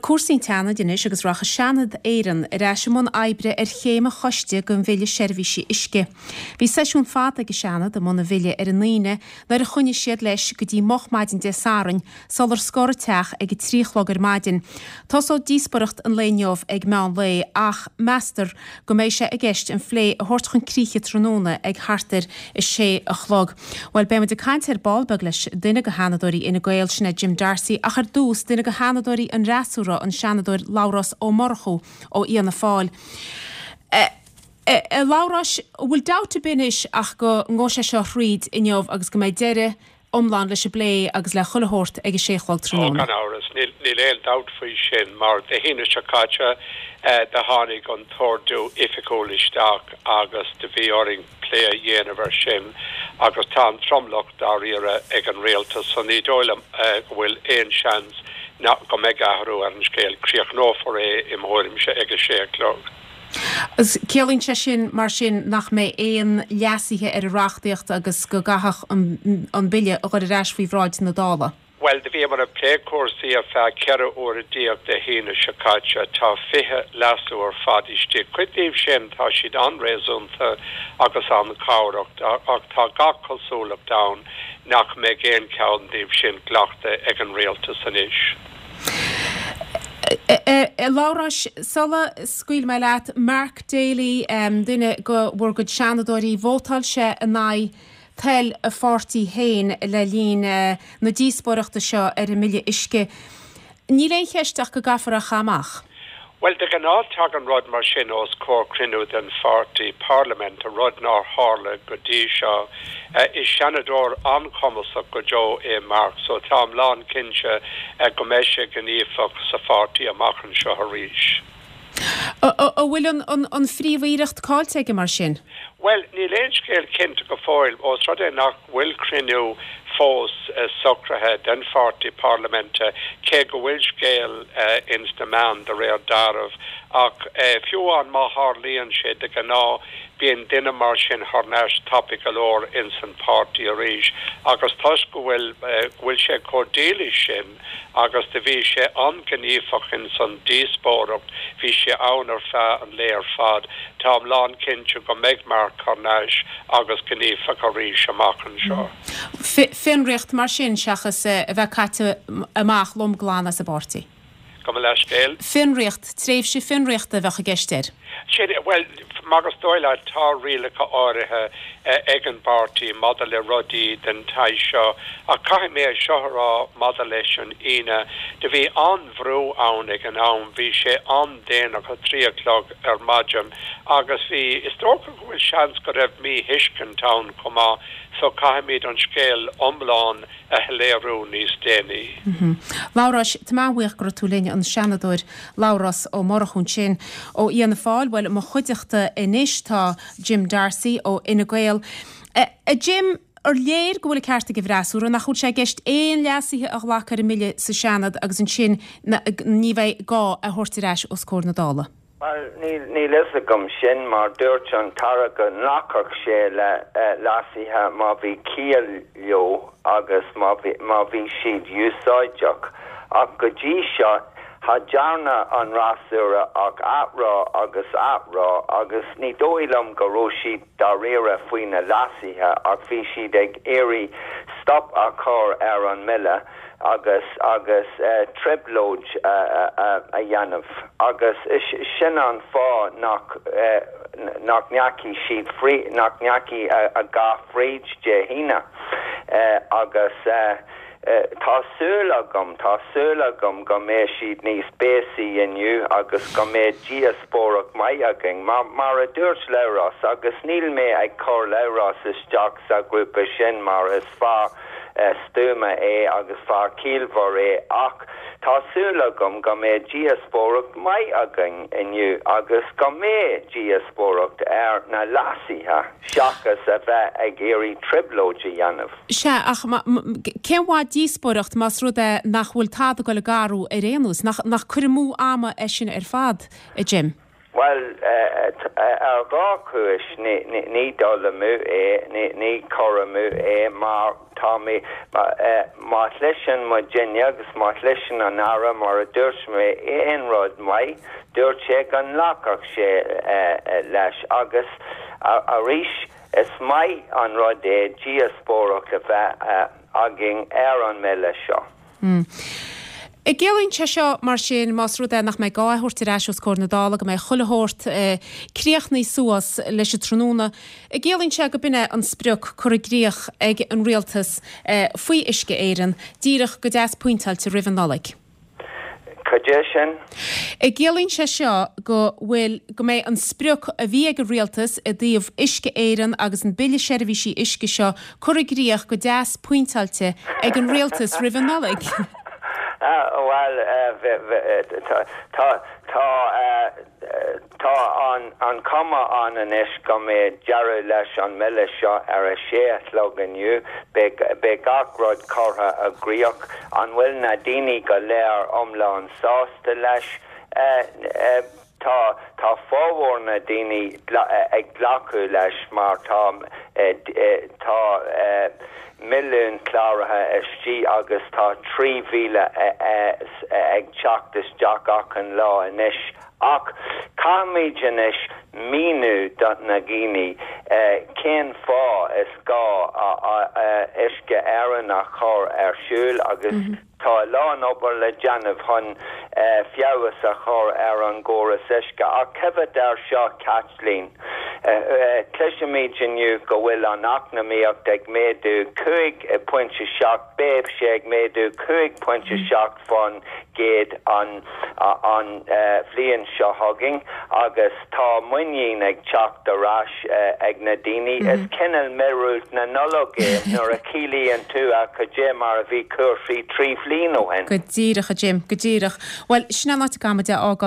Cúrsaí an tSeanaid anois agus rachaidh Seanad Éireann ar ais i mbun oibre ar chéim an choiste den Bhille Seirbhísí Uisce. Bhí seisiún fada ag an Seanad i mbun an bhille ar an Aoine nuair a choinnigh siad leis go dtí moch maidin Dé Sathairn sular scor an teach ag a 3 a chlog ar maidin. Tosóidh díospoireacht an lae inniu ag meán lae ach meastar go mbeidh sé i gceist an phlé a thabhairt chun críche tráthnóna ag thart ar a sé a chlog. Bhuel, beidh muid ag caint ar ball beag leis duine de Sheanadóirí Fhine Gael, sin é Jim D'Arcy, ach ar dtús, duine de Sheanadóirí an fhreasúra, an Seanadóir Labhrás Ó Murchú ó Fhianna Fáil. A Labhráis, an bhfuil dabht ar bith anois ach go ngabhfaidh sé seo thríd inniu agus go mbeidh deireadh iomlán leis an bplé agus le chuile shórt ag a sé a chlog Ó, tráthnóna. gan amhras, níl aon dabht faoi sin, mar Dé hAoine seo caite do tháinig an t-ordú oifigiúil isteach agus do bhí orainn plé a dhéanamh air sin agus tá an tromlach dáiríre ag an rialtas so ní dóigh liom go bhfuil aon seans ná go mbeidh athrú ar an scéal. Críochnófar é, i mo thuairimse, ag a sé a chlog. Ciallaíonn sé sin, mar sin, nach mbeidh aon leasuithe ar an reachtaíocht agus go gcaithfeadh an Bille a dhul ar ais faoi bhráid na Dála? Bhuel, do bhíomar ag plé cúrsaí ar feadh 14 uaire Dé hAoine seo caite. Tá 20 leasú ar fad istigh. Cuid díobh sin, tá siad an-réasúnta agus an-chabhrach, ach tá gach cosúlacht ann nach mbeidh aon cheann díobh sin glachta ag an Rialtas anois. A Labhráis, sula scaoilfidh mé leat, Mark Daly, duine de bhur gcuid seanadóirí, vótáil sé in aghaidh toil a pháirtí féin le linn na díospóireachta seo ar an mBille Uisce. Níl aon cheist ach go gcaithfear é a chaitheamh amach. Bhuel, de ghnáth tagann rud mar sin os comhair cruinniú den pháirtí parlaiminte, rud nár tharla go dtí seo. Is seanadóir an-chumasach go deo é Mark, so táim lánchinnte go mbeidh sé gníomhach sa pháirtí amach anseo arís. An bhfuil an phríomh-aoireacht caillte aige mar sin? Bhuel, níl aon scéal cinnte go fóill, ós rud é nach bhfuil cruinniú fós socraithe den pháirtí parlaiminte, cé go bhfuil scéal ins na meáin de réir dealraimh. Ach fiú amháin má tharlaíonn sé, de ghnáth bíonn duine mar sin thar n-ais tapaidh go leor ins an páirtí arís agus toisc go bhfuil go bhfuil sé chomh dílis sin, agus do bhí sé an-ghníomhach ins an díospóireacht, bhí sé ann ar feadh an lae ar fad. Táim lánchinnte go mbeidh Mark thar n-ais agus gníomhach arís amach anseo. Fionraíocht mar sin seachas a bheith caite amach lom glan as an bpáirtí? Gabh mo leithscéal. Fionraíocht, tréimhse fionraíochta a bheadh i gceist air. Sin, bhuel, mar is dóigh leat, tá rialacha áirithe ag an bpáirtí maidir le rudaí den tsaghas seo, ach caithfidh mé é seo a rá maidir leis an Aoine, do bhí an-bhrú ann ag an am, bhí sé an-déanach, a trí a chlog ar maidin, agus bhí, is dócha go bhfuil seans go raibh míthuiscint ann chomh maith, so caithfimid an scéal iomlán a shoiléiriú níos déanaí. Labhráis, tá mé an-bhuíoch go raibh tú linn, an Seanadóir Labhrás Ó Murchú ansin ó Fhianna Fáil. Bhuel, i mo chuideachta anois tá Jim D'Arcy ó Fhine Gael. A Jim, ar léir go bhfuil an ceart ag an bhfreasúra, nach bhfuil sé i gceist aon leasuithe a ghlacadh ar an mBille sa Seanad agus ansin ní bheidh gá é a thabhairt ar ais os comhair na Dála? Bhuel, níl, níl fhios agam sin, mar dúirt an tAire go nglacfadh sé le leasuithe má bhí ciall leo agus má bhí, má bhí siad úsáideach. Ach go dtí seo, cha dtearna an fhreasúra ach athrá agus athrá agus ní dóigh liom go raibh siad dáiríre faoi na leasuithe ach bhí siad ag iarraidh stop a chur ar an mbille agus agus trioblóid a dhéanamh agus sin an fáth nach nach ndeachaigh siad frí nach ndeachaigh a dhath fríd Dé hAoine agus tá súil agam tá súil agam go mbeidh siad níos béasaí inniu agus go mbeidh díospóireacht maith againn. Mar mar a dúirt Labhrás, agus níl mé ag cur Labhrás isteach sa ghrúpa sin mar is fear stuama é agus fear ciallmhar é ach tá súil agam go mbeidh díospóireacht maith againn inniu agus go mbeidh díospóireacht ar na leasuithe seachas a bheith ag iarraidh trioblóid a dhéanamh. Sea, ach cén mhaith díospóireacht más rud é nach bhfuil tada ag dul ag athrú ar aon nós? Nach cur amú ama é sin ar fad, a Jim? Bhuel, ar dhá chúis, ní dul amú é, ní cur amú é mar tá mé, má chloiseann muidinne agus má chloiseann an Aire, mar a dúirt mé, aon rud maith, dúirt sé go nglacfadh sé leis agus arís is maith an rud é díospóireacht a bheith againn ar an mBille seo. An gciallaíonn sé seo, mar sin, más rud é nach mbeidh gá é a thabhairt ar ais os comhair na Dála, go mbeidh chuile shórt críochnaithe suas leis an tráthnóna, an gciallaíonn sé go b'in é an sprioc curtha i gcrích ag an Rialtas faoi Uisce Éireann, díreach go deas pointeáilte roimh an Nollaig? Cad é sin? An gciallaíonn sé seo go bhfuil, go mbeidh an sprioc a bhí ag an Rialtas i dtaobh Uisce Éireann agus an Bille Seirbhísí Uisce seo curtha i gcrích go deas pointeáilte ag an Rialtas roimh an Nollaig? Bhuel, tá, tá, Tá an chuma ann anois go mbeidh deireadh leis an mBille seo ar a sé a chlog inniu. Beidh gach rud curtha i gcrích. An bhfuil na daoine go léir iomlán sásta leis? Tá. Tá formhór na daoine ag glacadh leis mar tá tá milliún cláraithe istigh agus tá 3,000 ag teacht isteach achan lá anois. Ach caithfimid anois míniú do na dhaoine cén fáth is gá Uisce Éireann a chur ar siúl agus tá a lán obair le déanamh chun feabhas a chur ar an gcóras uisce. Ach coimhéad air seo Caitlín, cloisimid inniu go bhfuil an eacnamaíocht ag méadú 5.7, beidh sé ag méadú 5.7 % an an bhliain seo chugainn agus tá muinín ag teacht ar ais ag na daoine. Is cineál míorúilt na Nollag é nuair a chiallaíonn tú a cad é mar a bhí cúrsaí 3 bhliain ó shin. Go díreach, a Jim, go díreach. Bhuel, sin an áit a gcaithfimid é a fhágáil.